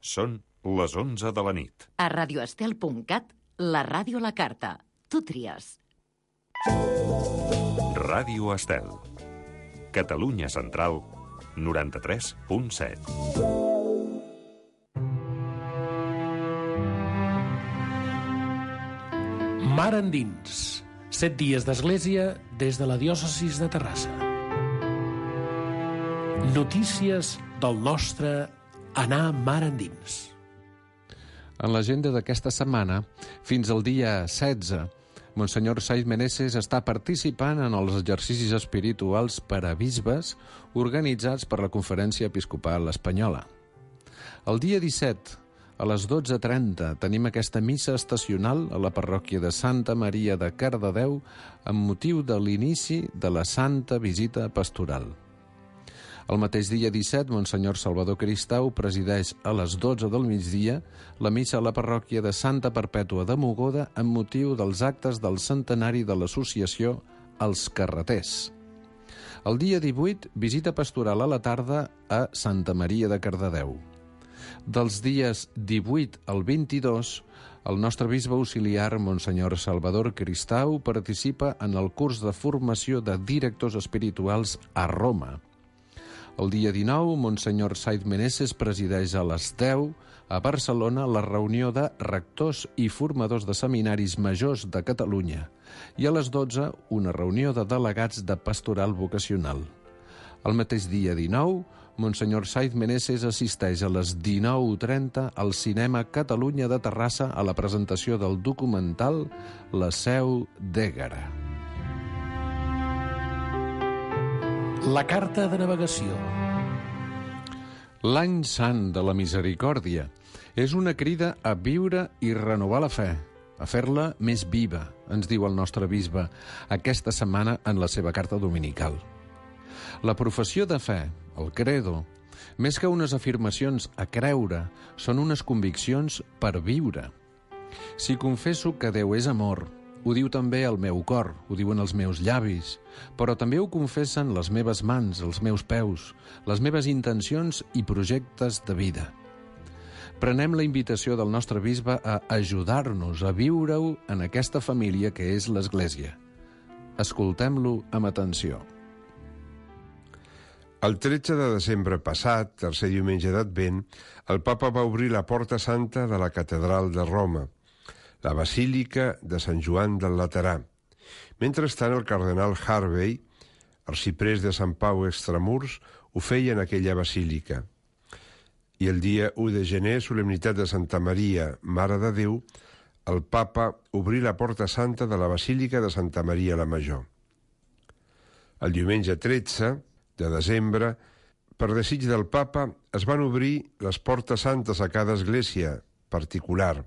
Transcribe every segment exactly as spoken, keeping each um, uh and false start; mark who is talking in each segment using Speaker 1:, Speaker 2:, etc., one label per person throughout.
Speaker 1: Són les onze de la nit.
Speaker 2: A radioestel punt cat, la ràdio a la carta. Tu tries.
Speaker 1: Ràdio Estel. Catalunya Central, noranta-tres punt set.
Speaker 3: Mar endins. Set dies d'església des de la diòcesis de Terrassa. Notícies del nostre anar mar endins.
Speaker 4: En l'agenda d'aquesta setmana, fins al dia setze, Monsenyor Saiz Meneses està participant en els exercicis espirituals per a bisbes organitzats per la Conferència Episcopal Espanyola. El dia disset, a les dotze trenta, tenim aquesta missa estacional a la parròquia de Santa Maria de Cardedeu amb motiu de l'inici de la Santa Visita Pastoral. El mateix dia disset, Monsenyor Salvador Cristau presideix a les dotze del migdia la missa a la parròquia de Santa Perpètua de Mogoda amb motiu dels actes del centenari de l'associació Els Carreters. El dia divuit, visita pastoral a la tarda a Santa Maria de Cardedeu. Dels dies divuit al vint-i-dos, el nostre bisbe auxiliar, Monsenyor Salvador Cristau, participa en el curs de formació de directors espirituals a Roma. El dia dinou, Monsenyor Saiz Meneses presideix a les deu a Barcelona la reunió de rectors i formadors de seminaris majors de Catalunya i a les dotze una reunió de delegats de pastoral vocacional. El mateix dia dinou, Monsenyor Saiz Meneses assisteix a les dinou trenta al Cinema Catalunya de Terrassa a la presentació del documental La seu d'Ègara.
Speaker 3: La carta de navegació.
Speaker 4: L'any sant de la misericòrdia és una crida a viure i renovar la fe, a fer-la més viva, ens diu el nostre bisbe aquesta setmana en la seva carta dominical. La professió de fe, el credo, més que unes afirmacions a creure, són unes conviccions per viure. Si confesso que Déu és amor, ho diu també el meu cor, ho diuen els meus llavis, però també ho confessen les meves mans, els meus peus, les meves intencions i projectes de vida. Prenem la invitació del nostre bisbe a ajudar-nos a viure-ho en aquesta família que és l'Església. Escoltem-lo amb atenció.
Speaker 5: El tretze de desembre passat, tercer diumenge d'Advent, el papa va obrir la Porta Santa de la Catedral de Roma, la Basílica de Sant Joan del Laterà. Mentrestant, el cardenal Harvey, arxiprés de Sant Pau Extramurs, ho feia en aquella basílica. I el dia u de gener, solemnitat de Santa Maria, Mare de Déu, el papa obrí la Porta Santa de la Basílica de Santa Maria la Major. El diumenge tretze de desembre, per desig del papa, es van obrir les portes santes a cada església particular,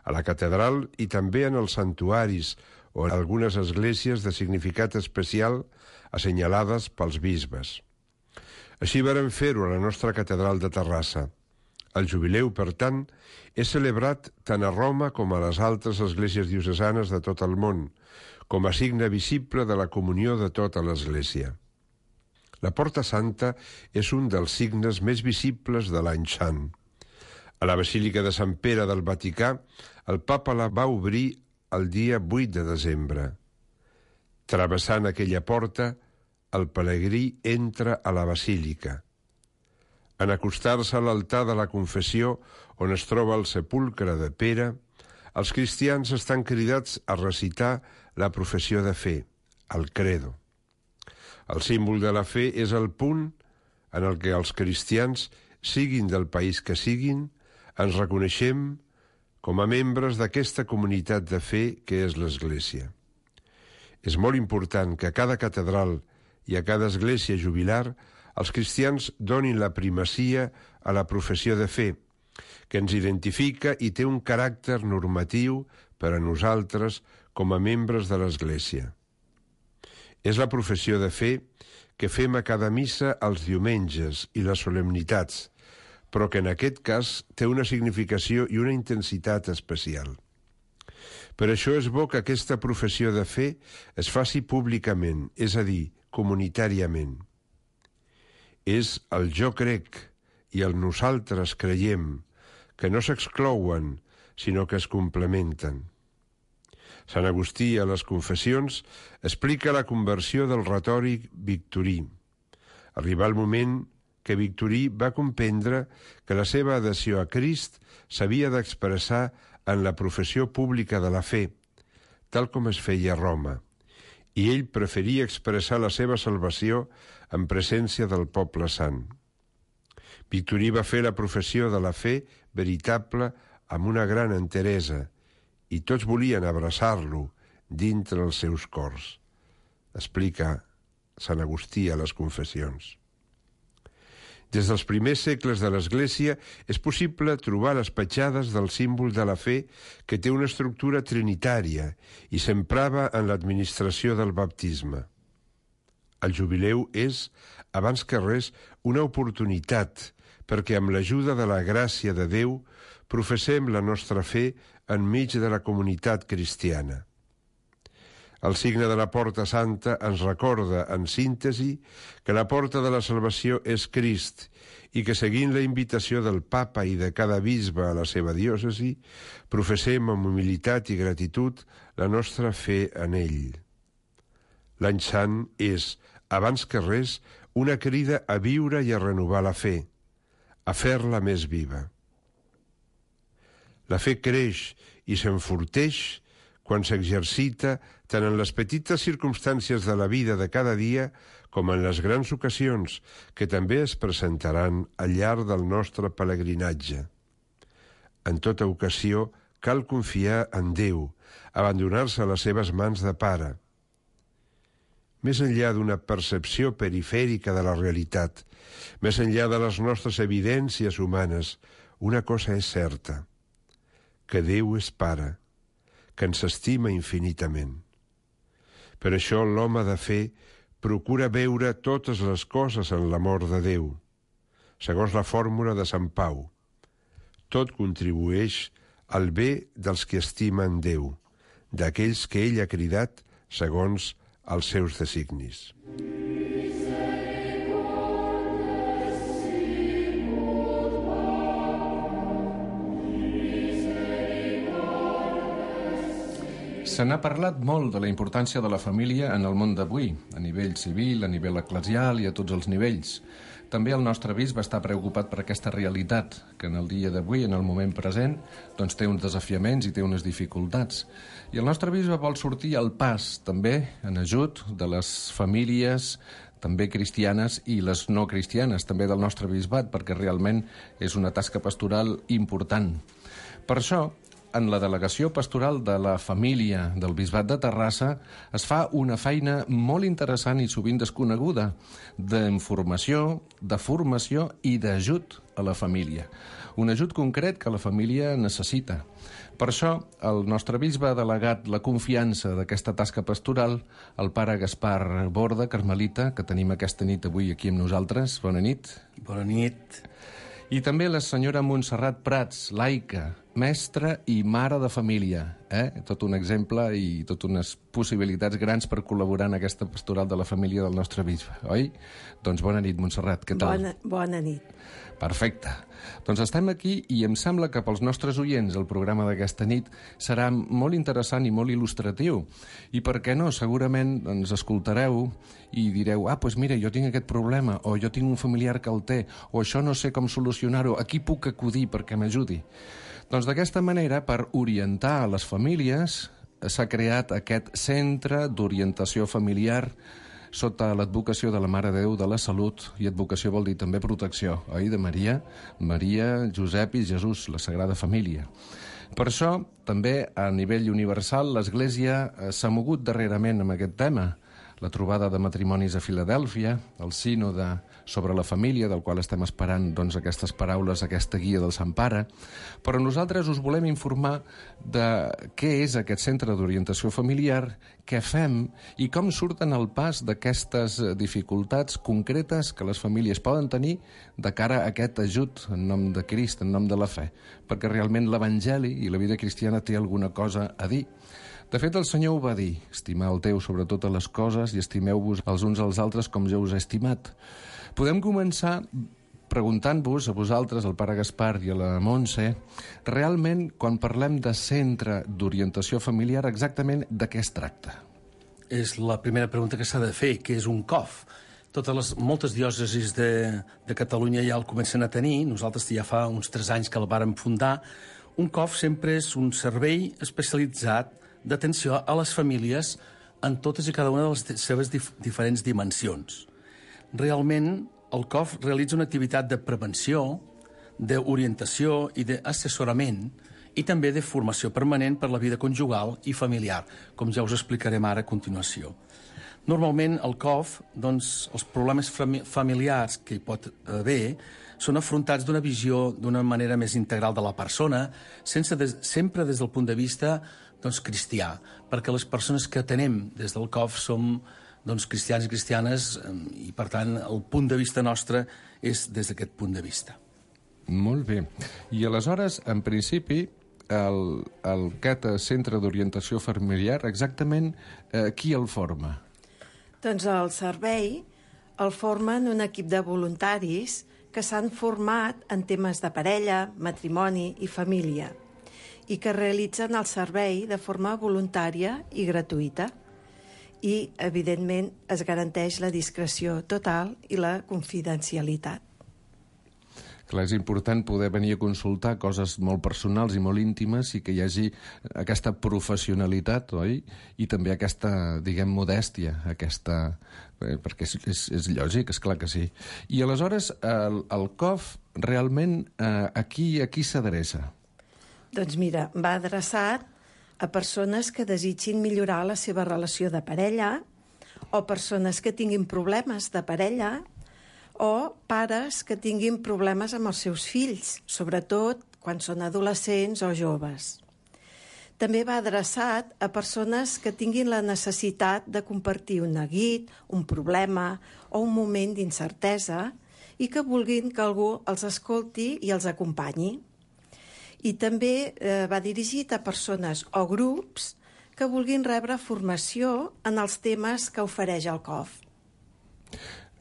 Speaker 5: a la catedral i també en els santuaris o en algunes esglésies de significat especial assenyalades pels bisbes. Així varen fer-ho a la nostra catedral de Terrassa. El jubileu, per tant, és celebrat tant a Roma com a les altres esglésies diocesanes de tot el món, com a signe visible de la comunió de tota l'Església. La Porta Santa és un dels signes més visibles de l'any sant. A la Basílica de Sant Pere del Vaticà, el papa la va obrir el dia vuit de desembre. Travessant aquella porta, el pelegrí entra a la basílica. En acostar-se a l'altar de la confessió, on es troba el sepulcre de Pere, els cristians estan cridats a recitar la professió de fe, el credo. El símbol de la fe és el punt en el que els cristians, siguin del país que siguin, ens reconeixem com a membres d'aquesta comunitat de fe que és l'Església. És molt important que a cada catedral i a cada església jubilar els cristians donin la primacia a la professió de fe, que ens identifica i té un caràcter normatiu per a nosaltres com a membres de l'Església. És la professió de fe que fem a cada missa els diumenges i les solemnitats, però que en aquest cas té una significació i una intensitat especial. Per això és bo que aquesta professió de fe es faci públicament, és a dir, comunitàriament. És el jo crec i el nosaltres creiem, que no s'exclouen, sinó que es complementen. Sant Agustí, a les Confessions, explica la conversió del retòric victorí. Arribà el moment que Victorí va comprendre que la seva adhesió a Crist s'havia d'expressar en la professió pública de la fe, tal com es feia a Roma, i ell preferia expressar la seva salvació en presència del poble sant. Victorí va fer la professió de la fe veritable amb una gran enteresa, i tots volien abraçar-lo dintre els seus cors, explica Sant Agustí a les Confessions. Des dels primers segles de l'Església és possible trobar les petjades del símbol de la fe que té una estructura trinitària i s'emprava en l'administració del baptisme. El jubileu és, abans que res, una oportunitat perquè amb l'ajuda de la gràcia de Déu professem la nostra fe enmig de la comunitat cristiana. El signe de la Porta Santa ens recorda, en síntesi, que la porta de la salvació és Crist i que, seguint la invitació del Papa i de cada bisbe a la seva diòcesi, professem amb humilitat i gratitud la nostra fe en ell. L'Any Sant és, abans que res, una crida a viure i a renovar la fe, a fer-la més viva. La fe creix i s'enforteix quan s'exercita tant en les petites circumstàncies de la vida de cada dia com en les grans ocasions que també es presentaran al llarg del nostre pelegrinatge. En tota ocasió cal confiar en Déu, abandonar-se a les seves mans de pare. Més enllà d'una percepció perifèrica de la realitat, més enllà de les nostres evidències humanes, una cosa és certa, que Déu és Pare, que ens estima infinitament. Per això l'home de fe procura veure totes les coses en l'amor de Déu, segons la fórmula de Sant Pau. Tot contribueix al bé dels que estimen Déu, d'aquells que ell ha cridat segons els seus designis.
Speaker 4: Se n'ha parlat molt de la importància de la família en el món d'avui, a nivell civil, a nivell eclesial i a tots els nivells. També el nostre bisbe està preocupat per aquesta realitat, que en el dia d'avui, en el moment present, doncs té uns desafiaments i té unes dificultats. I el nostre bisbe vol sortir al pas, també, en ajut de les famílies també cristianes i les no cristianes, també del nostre bisbat, perquè realment és una tasca pastoral important. Per això, en la delegació pastoral de la família del Bisbat de Terrassa es fa una feina molt interessant i sovint desconeguda d'informació, de formació i d'ajut a la família. Un ajut concret que la família necessita. Per això, el nostre bisbe ha delegat la confiança d'aquesta tasca pastoral al pare Gaspar Borda, carmelita, que tenim aquesta nit avui aquí amb nosaltres. Bona nit.
Speaker 6: Bona nit.
Speaker 4: I també la senyora Montserrat Prats, laica, mestra i mare de família. Eh? Tot un exemple i tot unes possibilitats grans per col·laborar en aquesta pastoral de la família del nostre bisbe, oi? Doncs bona nit, Montserrat, què tal?
Speaker 6: Bona, bona nit.
Speaker 4: Perfecte. Doncs estem aquí i em sembla que pels nostres oients el programa d'aquesta nit serà molt interessant i molt il·lustratiu. I per què no? Segurament ens escoltareu i direu, ah, doncs mira, jo tinc aquest problema, o jo tinc un familiar que el té, o això no sé com solucionar-ho, a qui puc acudir perquè m'ajudi? Doncs d'aquesta manera, per orientar a les famílies, s'ha creat aquest centre d'orientació familiar sota l'advocació de la Mare de Déu de la Salut, i advocació vol dir també protecció, oi, de Maria, Maria, Josep i Jesús, la Sagrada Família. Per això, també a nivell universal, l'Església s'ha mogut darrerament amb aquest tema. La trobada de matrimonis a Filadèlfia, el sínode sobre la família, del qual estem esperant doncs, aquestes paraules, aquesta guia del Sant Pare, però nosaltres us volem informar de què és aquest centre d'orientació familiar, què fem i com surten al pas d'aquestes dificultats concretes que les famílies poden tenir de cara a aquest ajut en nom de Crist, en nom de la fe, perquè realment l'Evangeli i la vida cristiana té alguna cosa a dir. De fet, el Senyor ho va dir, estimeu Déu sobre totes les coses i estimeu-vos els uns als altres com jo us he estimat. Podem començar preguntant-vos a vosaltres, al pare Gaspar i a la Montse, realment, quan parlem de centre d'orientació familiar, exactament de què es tracta?
Speaker 3: És la primera pregunta que s'ha de fer, que és un C O F. Totes les, moltes diòcesis de, de Catalunya ja el comencen a tenir, nosaltres ja fa uns tres anys que el vàrem fundar. Un C O F sempre és un servei especialitzat d'atenció a les famílies en totes i cada una de les seves dif diferents dimensions. Realment, el C O F realitza una activitat de prevenció, d'orientació i d'assessorament i també de formació permanent per la vida conjugal i familiar, com ja us explicarem ara a continuació. Normalment, el C O F, doncs, els problemes familiars que hi pot haver són afrontats d'una visió d'una manera més integral de la persona, sense des, sempre des del punt de vista doncs, cristià, perquè les persones que atenem des del C O F som doncs, cristians i cristianes i, per tant, el punt de vista nostre és des d'aquest punt de vista.
Speaker 4: Molt bé. I aleshores, en principi, el, el aquest centre d'orientació familiar, exactament eh, qui el forma?
Speaker 6: Doncs el servei el formen un equip de voluntaris que s'han format en temes de parella, matrimoni i família i que realitzen el servei de forma voluntària i gratuïta. I, evidentment, es garanteix la discreció total i la confidencialitat.
Speaker 4: Clar, és important poder venir a consultar coses molt personals i molt íntimes i que hi hagi aquesta professionalitat, oi? I també aquesta, diguem, modèstia, aquesta... Eh, perquè és, és, és lògic, és clar que sí. I aleshores, el, el C O F realment eh, a qui, a qui s'adreça?
Speaker 6: Doncs mira, va adreçat a persones que desitgin millorar la seva relació de parella o persones que tinguin problemes de parella o pares que tinguin problemes amb els seus fills, sobretot quan són adolescents o joves. També va adreçat a persones que tinguin la necessitat de compartir un neguit, un problema o un moment d'incertesa i que vulguin que algú els escolti i els acompanyi. I també eh, va dirigit a persones o grups que vulguin rebre formació en els temes que ofereix el C O F.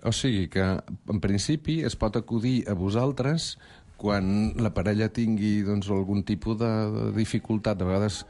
Speaker 4: O sigui que, en principi, es pot acudir a vosaltres quan la parella tingui doncs, algun tipus de, de dificultat. De vegades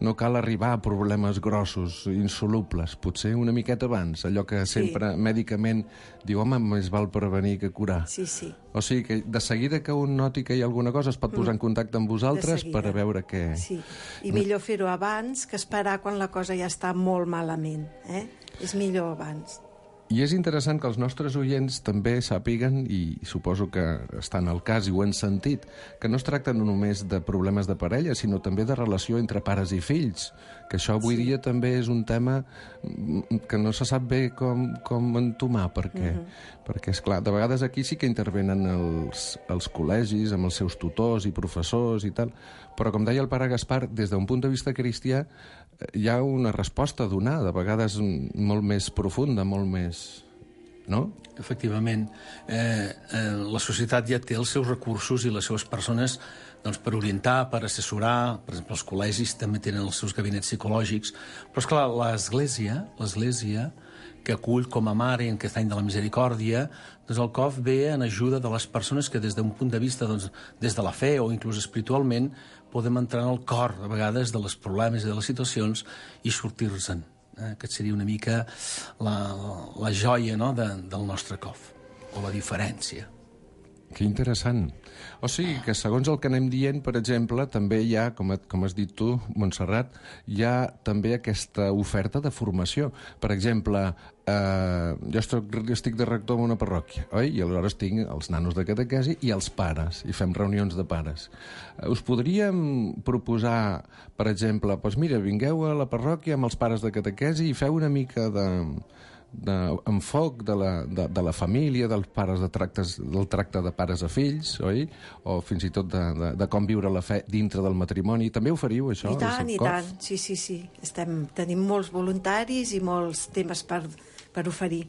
Speaker 4: no cal arribar a problemes grossos, insolubles, potser una miqueta abans, allò que sempre sí. Mèdicament diu, home, més val prevenir que curar.
Speaker 6: Sí, sí.
Speaker 4: O sigui que de seguida que un noti que hi ha alguna cosa es pot posar en contacte amb vosaltres per a veure què...
Speaker 6: Sí, i millor fer-ho abans que esperar quan la cosa ja està molt malament. Eh? És millor abans.
Speaker 4: I és interessant que els nostres oients també sàpiguen, i suposo que estan al cas i ho han sentit, que no es tracta no només de problemes de parella, sinó també de relació entre pares i fills, que això avui sí. dia també és un tema que no se sap bé com, com entomar, perquè, uh-huh. perquè esclar, de vegades aquí sí que intervenen els, els col·legis amb els seus tutors i professors i tal, però com deia el pare Gaspar, des d'un punt de vista cristià hi ha una resposta a donar, de vegades molt més profunda, molt més... no?
Speaker 3: Efectivament. Eh, eh, la societat ja té els seus recursos i les seves persones doncs, per orientar, per assessorar. Per exemple, els col·legis també tenen els seus gabinets psicològics. Però, esclar, l'Església, l'Església, que acull com a mare en aquest any de la misericòrdia, doncs el C O F ve en ajuda de les persones que des d'un punt de vista, doncs, des de la fe o inclús espiritualment, podem entrar en el cor, a vegades, de les problemes i de les situacions i sortir-se'n. Eh? Aquest seria una mica la, la joia, no?, de, del nostre C O F, o la diferència.
Speaker 4: Que interessant. O sigui que, segons el que anem dient, per exemple, també hi ha, com, com has dit tu, Montserrat, hi ha també aquesta oferta de formació. Per exemple, eh, jo estic, estic de rector en una parròquia, oi? I aleshores tinc els nanos de catequesi i els pares, i fem reunions de pares. Eh, us podríem proposar, per exemple, doncs mira, vingueu a la parròquia amb els pares de catequesi i feu una mica de... d'enfoc de, la, de, de la família, dels pares de tractes, del tracte de pares a fills, oi? O fins i tot de, de, de com viure la fe dintre del matrimoni. També oferiu això?
Speaker 6: I tant, i tant. Sí, sí, sí. Estem, tenim molts voluntaris i molts temes per, per oferir.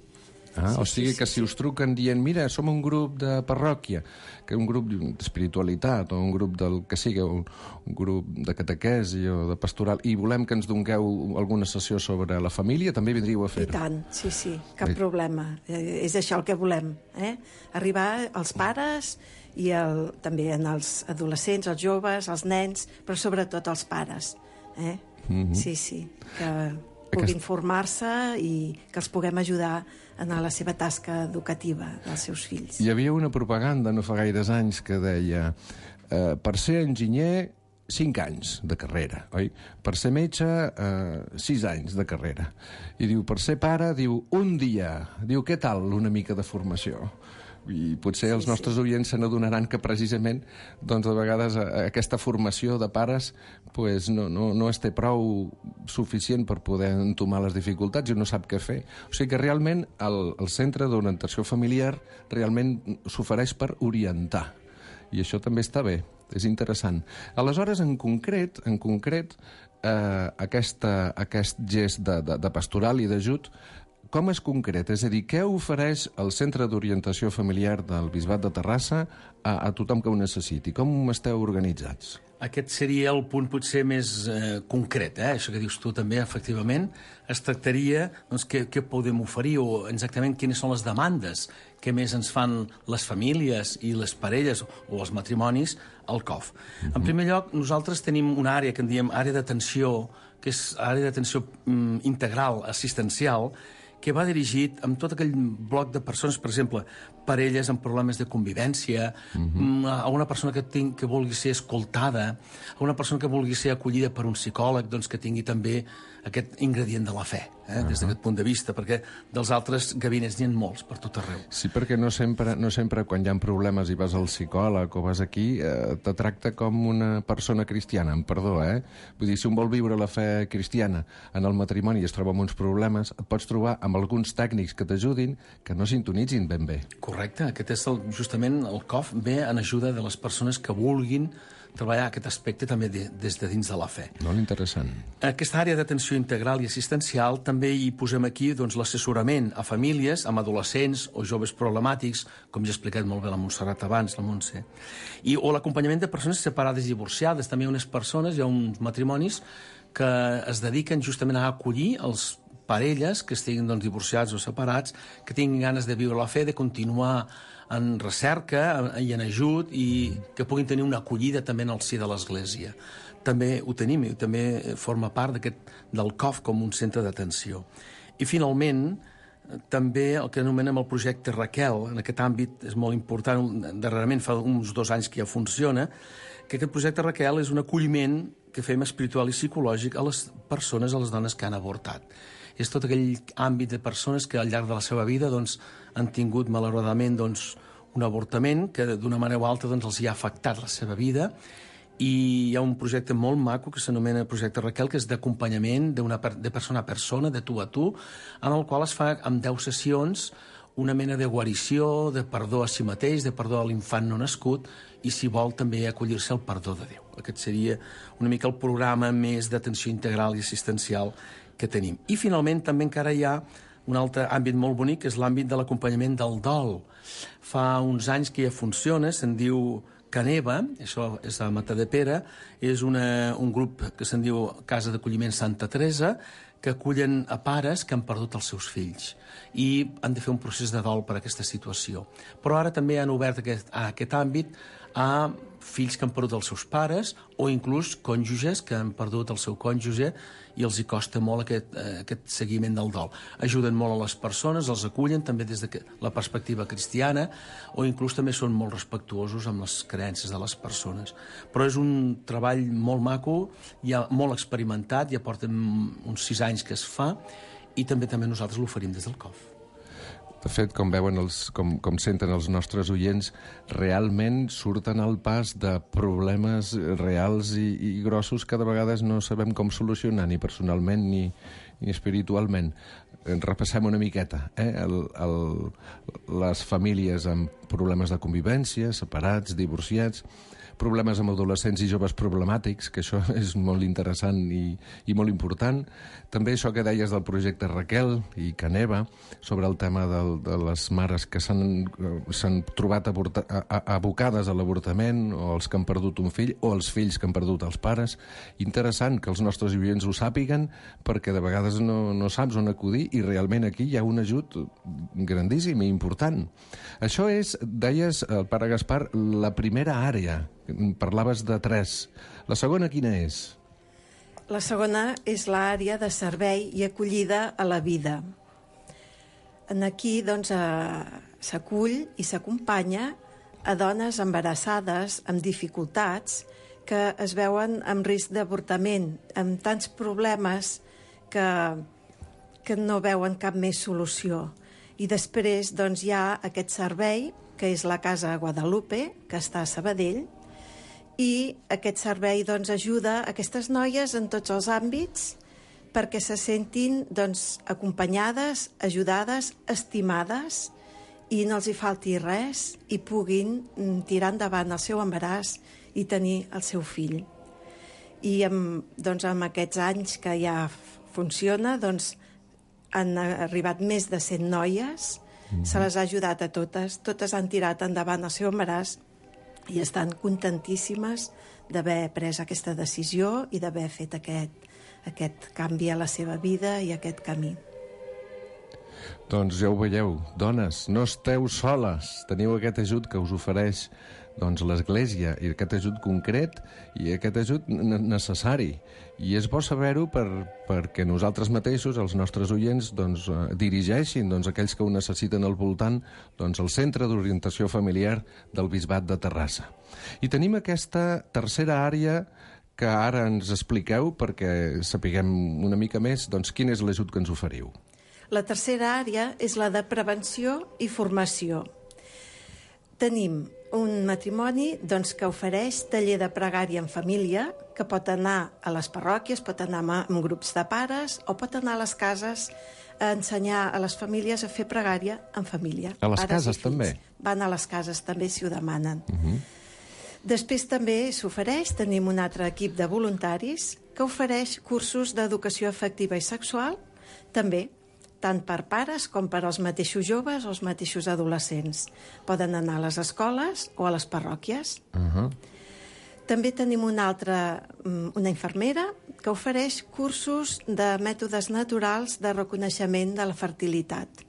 Speaker 4: Ah,
Speaker 6: sí,
Speaker 4: o sigui
Speaker 6: sí,
Speaker 4: que
Speaker 6: sí,
Speaker 4: si us truquen dient mira, som un grup de parròquia, que un grup d'espiritualitat o un grup del que sigui, un, un grup de catequesi o de pastoral, i volem que ens dongueu alguna sessió sobre la família, també vindríeu a
Speaker 6: I
Speaker 4: fer-ho.
Speaker 6: tant, sí, sí, cap
Speaker 4: Bé.
Speaker 6: problema. Eh, és això el que volem, eh? Arribar als pares i el, també en els adolescents, els joves, els nens, però sobretot als pares. Eh? Mm-hmm. Sí, sí, que puguin formar-se i que els puguem ajudar a anar a la seva tasca educativa dels seus fills.
Speaker 4: Hi havia una propaganda no fa gaires anys que deia eh, per ser enginyer, cinc anys de carrera, oi? Per ser metge, eh, sis anys de carrera. I diu, per ser pare, diu, un dia. Diu, què tal una mica de formació? I potser els
Speaker 6: Sí,
Speaker 4: nostres oients se n'adonaran que precisament doncs, a vegades aquesta formació de pares pues, no, no, no es té prou suficient per poder entomar les dificultats i no sap què fer. O sigui que realment el, el centre d'orientació familiar realment s'ofereix per orientar. I això també està bé, és interessant. Aleshores, en concret, en concret eh, aquesta, aquest gest de, de, de pastoral i d'ajut, com és concret? És a dir, què ofereix el Centre d'Orientació Familiar del Bisbat de Terrassa a, a tothom que ho necessiti? Com esteu organitzats?
Speaker 3: Aquest seria el punt potser més eh, concret, eh? Això que dius tu també, efectivament. Es tractaria, doncs, què, què podem oferir o exactament quines són les demandes que més ens fan les famílies i les parelles o els matrimonis al C O F. Mm-hmm. En primer lloc, nosaltres tenim una àrea que en diem àrea d'atenció, que és àrea d'atenció mm, integral, assistencial, que va dirigit amb tot aquell bloc de persones, per exemple, parelles amb problemes de convivència, uh-huh. a una persona que, ting, que vulgui ser escoltada, a una persona que vulgui ser acollida per un psicòleg, doncs que tingui també aquest ingredient de la fe, eh, uh-huh. des d'aquest punt de vista, perquè dels altres gabinets n'hi ha molts per tot arreu.
Speaker 4: Sí, perquè no sempre, no sempre quan hi ha problemes i vas al psicòleg o vas aquí, eh, te tracta com una persona cristiana, amb perdó, eh? Vull dir, si un vol viure la fe cristiana en el matrimoni i es troba amb uns problemes, et pots trobar amb alguns tècnics que t'ajudin que no sintonitzin ben bé.
Speaker 3: Correcte, aquest és el, justament el C O F ve en ajuda de les persones que vulguin treballar aquest aspecte també de, des de dins de la fe.
Speaker 4: Molt interessant.
Speaker 3: Aquesta àrea d'atenció integral i assistencial també hi posem aquí doncs, l'assessorament a famílies amb adolescents o joves problemàtics, com ja he explicat molt bé la Montserrat abans, la Montse, i, o l'acompanyament de persones separades i divorciades. També hi ha unes persones, hi ha uns matrimonis que es dediquen justament a acollir els parelles que estiguin doncs, divorciats o separats, que tinguin ganes de viure la fe, de continuar en recerca i en ajut i que puguin tenir una acollida també en el si de l'Església. També ho tenim i també forma part del C O F com un centre d'atenció. I finalment, també el que anomenem el projecte Raquel, en aquest àmbit és molt important, darrerament fa uns dos anys que ja funciona, que aquest projecte Raquel és un acolliment que fem espiritual i psicològic a les persones, a les dones que han avortat. És tot aquell àmbit de persones que al llarg de la seva vida doncs, han tingut malauradament doncs, un avortament que d'una manera o altra doncs, els hi ha afectat la seva vida, i hi ha un projecte molt maco que s'anomena Projecte Raquel, que és d'acompanyament de persona a persona, de tu a tu, en el qual es fa amb deu sessions una mena de guarició, de perdó a si mateix, de perdó a l'infant no nascut, i si vol també acollir-se al perdó de Déu. Aquest seria una mica el programa més d'atenció integral i assistencial que tenim. I finalment també encara hi ha un altre àmbit molt bonic, que és l'àmbit de l'acompanyament del dol. Fa uns anys que ja funciona, se'n diu Caneva, això és a Matadepera, és una, un grup que se'n diu Casa d'Acolliment Santa Teresa, que acullen a pares que han perdut els seus fills i han de fer un procés de dol per aquesta situació. Però ara també han obert aquest, a aquest àmbit a fills que han perdut els seus pares o inclús cònjuges que han perdut el seu cònjuge i els hi costa molt aquest, eh, aquest seguiment del dol. Ajuden molt a les persones, els acullen també des de la perspectiva cristiana o inclús també són molt respectuosos amb les creences de les persones. Però és un treball molt maco, ja molt experimentat, ja porten uns sis anys que es fa i també també nosaltres l'oferim des del C O F.
Speaker 4: De fet, com veuen, els, com, com senten els nostres oients, realment surten al pas de problemes reals i, i grossos que de vegades no sabem com solucionar, ni personalment ni, ni espiritualment. Repassem una miqueta. Eh? El, el, les famílies amb problemes de convivència, separats, divorciats, problemes amb adolescents i joves problemàtics, que això és molt interessant i, i molt important. També això que deies del projecte Raquel i Caneva, sobre el tema del, de les mares que s'han trobat avorta, a, a, abocades a l'avortament, o els que han perdut un fill, o els fills que han perdut els pares. Interessant que els nostres oients ho sàpiguen, perquè de vegades no, no saps on acudir, i realment aquí hi ha un ajut grandíssim i important. Això és, deies, el pare Gaspar, la primera àrea. Parlaves de tres. La segona quina és?
Speaker 6: La segona és l'àrea de servei i acollida a la vida. En aquí, doncs, s'acull i s'acompanya a dones embarassades amb dificultats que es veuen amb risc d'avortament, amb tants problemes que, que no veuen cap més solució. I després, doncs, hi ha aquest servei, que és la Casa Guadalupe, que està a Sabadell, i aquest servei doncs, ajuda aquestes noies en tots els àmbits perquè se sentin doncs, acompanyades, ajudades, estimades, i no els hi falti res i puguin tirar endavant el seu embaràs i tenir el seu fill. I amb, doncs, amb aquests anys que ja funciona, doncs, han arribat més de cent noies, mm-hmm. se les ha ajudat a totes, totes han tirat endavant el seu embaràs i estan contentíssimes d'haver pres aquesta decisió i d'haver fet aquest, aquest canvi a la seva vida i aquest camí.
Speaker 4: Doncs ja ho veieu, dones, no esteu soles. Teniu aquest ajut que us ofereix doncs, l'Església, i aquest ajut concret i aquest ajut necessari. I és bo saber-ho per, perquè nosaltres mateixos, els nostres oients, doncs, dirigeixin doncs, aquells que ho necessiten al voltant doncs, el Centre d'Orientació Familiar del Bisbat de Terrassa. I tenim aquesta tercera àrea que ara ens expliqueu perquè sapiguem una mica més doncs, quin és l'ajut que ens oferiu.
Speaker 6: La tercera àrea és la de prevenció i formació. Tenim un matrimoni doncs, que ofereix taller de pregària en família, que pot anar a les parròquies, pot anar amb grups de pares o pot anar a les cases a ensenyar a les famílies a fer pregària en família.
Speaker 4: A les cases també?
Speaker 6: Van a les cases també si ho demanen.
Speaker 4: Uh-huh.
Speaker 6: Després també s'ofereix, tenim un altre equip de voluntaris que ofereix cursos d'educació afectiva i sexual, també, tant per pares com per als mateixos joves o els mateixos adolescents. Poden anar a les escoles o a les parròquies.
Speaker 4: Uh-huh.
Speaker 6: També tenim una altra, una infermera que ofereix cursos de mètodes naturals de reconeixement de la fertilitat.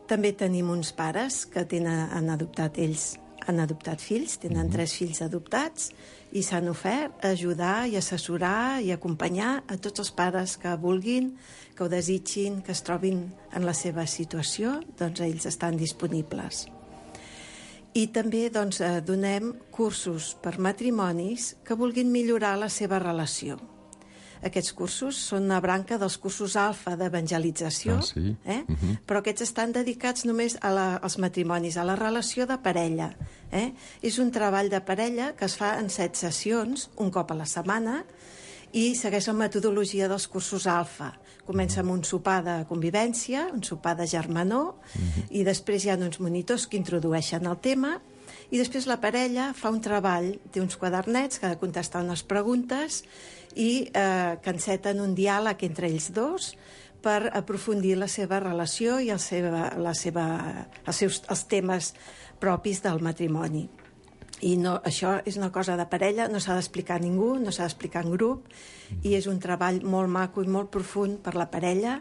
Speaker 6: També tenim uns pares que tenen, han adoptat ells, han adoptat fills, tenen uh-huh. tres fills adoptats i s'han ofert a ajudar i assessorar i acompanyar a tots els pares que vulguin, que ho desitgin, que es trobin en la seva situació, doncs ells estan disponibles. I també doncs, donem cursos per matrimonis que vulguin millorar la seva relació. Aquests cursos són una branca dels cursos alfa d'evangelització,
Speaker 4: ah, sí?
Speaker 6: eh?
Speaker 4: uh-huh.
Speaker 6: però aquests estan dedicats només a la, als matrimonis, a la relació de parella. Eh? És un treball de parella que es fa en set sessions, un cop a la setmana, i segueix la metodologia dels cursos alfa. Comença amb un sopar de convivència, un sopar de germanor, uh-huh. i després hi ha uns monitors que introdueixen el tema, i després la parella fa un treball, té uns quadernets que ha de contestar unes preguntes i eh, que enceten un diàleg entre ells dos per aprofundir la seva relació i el seva, la seva, els, seus, els temes propis del matrimoni. I no, això és una cosa de parella, no s'ha d'explicar a ningú, no s'ha d'explicar en grup, i és un treball molt maco i molt profund per la parella.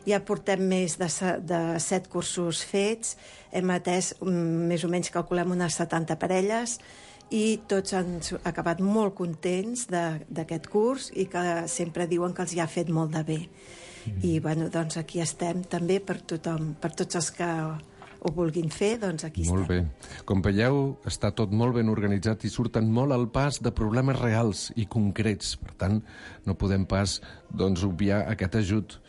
Speaker 6: Ja portem més de, de set cursos fets, hem atès, més o menys calculem unes setanta parelles, i tots han acabat molt contents d'aquest curs i que sempre diuen que els hi ha fet molt de bé. I bueno, doncs aquí estem també per tothom, per tots els que ho vulguin fer, doncs aquí
Speaker 4: molt
Speaker 6: estem.
Speaker 4: Molt bé. Com veieu, està tot molt ben organitzat i surten molt al pas de problemes reals i concrets. Per tant, no podem pas doncs, obviar aquest ajut.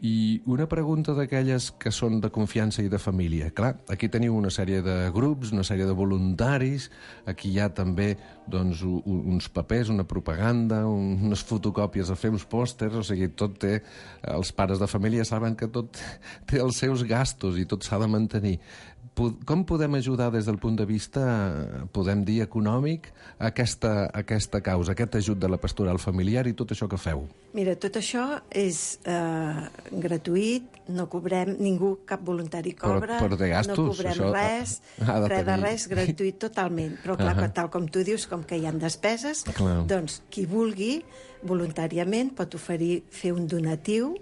Speaker 4: I una pregunta d'aquelles que són de confiança i de família. Clar, aquí teniu una sèrie de grups, una sèrie de voluntaris, aquí hi ha també doncs, uns papers, una propaganda, unes fotocòpies a fer uns pòsters, o sigui, tot té... Els pares de família saben que tot té els seus gastos i tot s'ha de mantenir. com podem ajudar des del punt de vista, podem dir, econòmic, a aquesta, a aquesta causa, aquest ajut de la pastoral familiar i tot això que feu?
Speaker 6: Mira, tot això és eh, gratuït, no cobrem, ningú, cap voluntari cobra,
Speaker 4: però, però de gastos,
Speaker 6: no cobrem
Speaker 4: això
Speaker 6: res,
Speaker 4: ha de
Speaker 6: res de
Speaker 4: tenir.
Speaker 6: res, gratuït totalment. Però clar, uh -huh. tal com tu dius, com que hi ha despeses,
Speaker 4: clar.
Speaker 6: doncs qui vulgui voluntàriament pot oferir fer un donatiu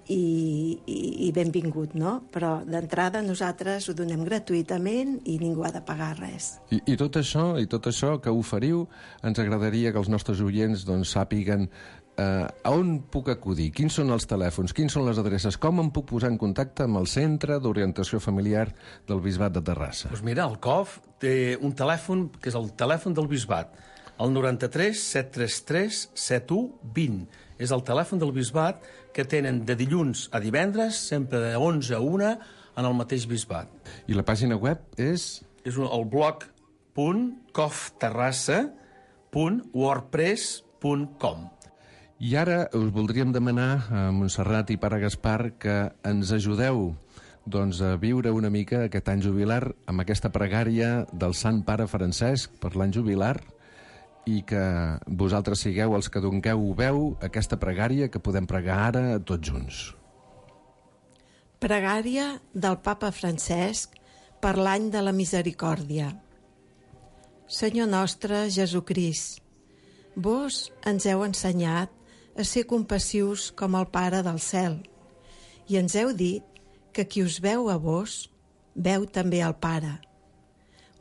Speaker 6: i, i, i benvingut, no? Però d'entrada nosaltres ho donem gratuïtament i ningú ha de pagar res.
Speaker 4: I, i tot això i tot això que oferiu, ens agradaria que els nostres oients doncs, sàpiguen eh, a on puc acudir, quins són els telèfons, quins són les adreces, com em puc posar en contacte amb el Centre d'Orientació Familiar del Bisbat de Terrassa.
Speaker 3: Doncs mira, el C O F té un telèfon que és el telèfon del Bisbat, el noranta-tres set tres tres set u vint. És el telèfon del Bisbat que tenen de dilluns a divendres, sempre de onze a una, en el mateix Bisbat.
Speaker 4: I la pàgina web és?
Speaker 3: És el blog punt cofterrassa punt wordpress punt com.
Speaker 4: I ara us voldríem demanar a Montserrat i Pare Gaspar que ens ajudeu doncs, a viure una mica aquest any jubilar amb aquesta pregària del Sant Pare Francesc per l'any jubilar i que vosaltres sigueu els que dongueu veu a aquesta pregària que podem pregar ara tots junts.
Speaker 6: Pregària del Papa Francesc per l'any de la misericòrdia. Senyor nostre Jesucrist, vos ens heu ensenyat a ser compassius com el Pare del cel i ens heu dit que qui us veu a vos, veu també al Pare.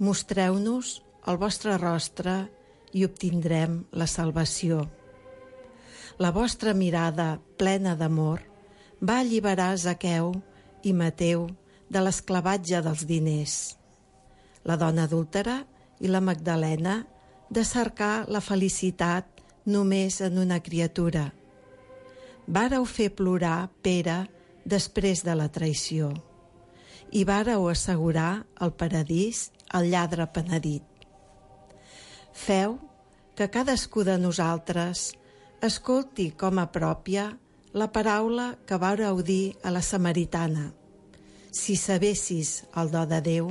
Speaker 6: Mostreu-nos el vostre rostre i obtindrem la salvació. La vostra mirada plena d'amor va alliberar Zaqueu i Mateu de l'esclavatge dels diners, la dona adúltera i la Magdalena de cercar la felicitat només en una criatura. Vàreu fer plorar Pere després de la traïció i vàreu assegurar el paradís al lladre penedit. Feu que cadascú de nosaltres escolti com a pròpia la paraula que vàreu dir a la samaritana. Si sabessis el do de Déu,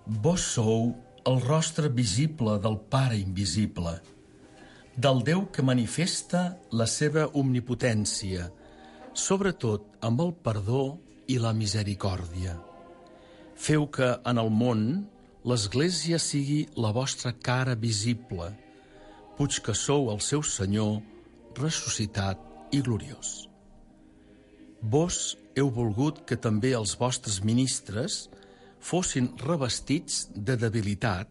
Speaker 3: vos sou el rostre visible del Pare invisible, del Déu que manifesta la seva omnipotència, sobretot amb el perdó i la misericòrdia. Feu que en el món l'Església sigui la vostra cara visible, puig que sou el seu Senyor ressuscitat i gloriós. Vos heu volgut que també els vostres ministres fossin revestits de debilitat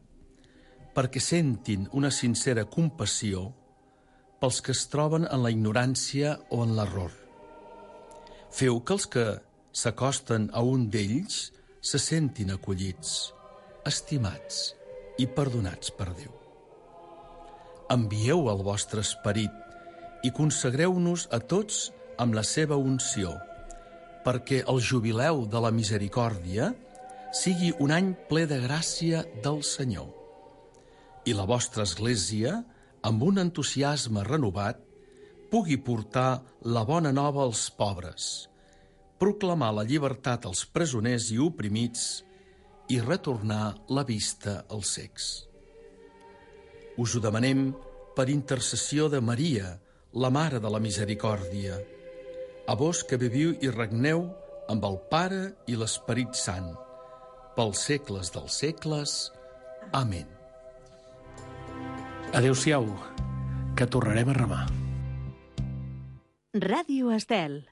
Speaker 3: perquè sentin una sincera compassió pels que es troben en la ignorància o en l'error. Feu que els que s'acosten a un d'ells se sentin acollits, estimats i perdonats per Déu. Envieu el vostre esperit i consagreu-nos a tots amb la seva unció, perquè el jubileu de la misericòrdia sigui un any ple de gràcia del Senyor. I la vostra Església, amb un entusiasme renovat, pugui portar la bona nova als pobres, proclamar la llibertat als presoners i oprimits i retornar la vista als cecs. Us ho demanem per intercessió de Maria, la Mare de la Misericòrdia, a vos que viviu i regneu amb el Pare i l'Esperit Sant, pels segles dels segles. Amén. Adéu-siau, que tornarem a remar.
Speaker 2: Ràdio Estel.